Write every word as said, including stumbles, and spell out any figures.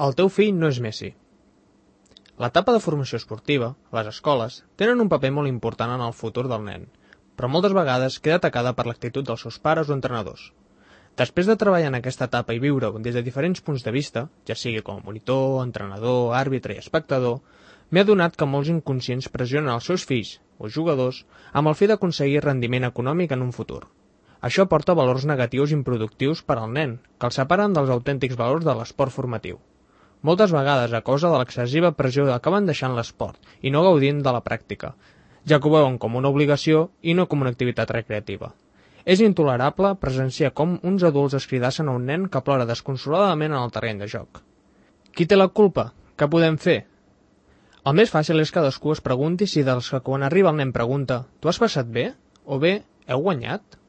El teu fill no és Messi. L'etapa de formació esportiva, les escoles, tenen un paper molt important en el futur del nen, però moltes vegades queda atacada per l'actitud dels seus pares o entrenadors. Després de treballar en aquesta etapa i viure-ho des de diferents punts de vista, ja sigui com a monitor, entrenador, àrbitre i espectador, m'he adonat que molts inconscients pressionen els seus fills o jugadors amb el fi d'aconseguir rendiment econòmic en un futur. Això porta valors negatius i improductius per al nen, que els separen dels autèntics valors de l'esport formatiu. Moltes vegades, a causa de l'excessiva pressió, acaben deixant l'esport i no gaudint de la pràctica, ja que ho veuen com una obligació i no com una activitat recreativa. És intolerable presenciar com uns adults es cridassen a un nen que plora desconsoladament en el terreny de joc. Qui té la culpa? Què podem fer? El més fàcil és que cadascú es pregunti si dels que quan arriba el nen pregunta «Tu has passat bé?» o bé «Heu guanyat?»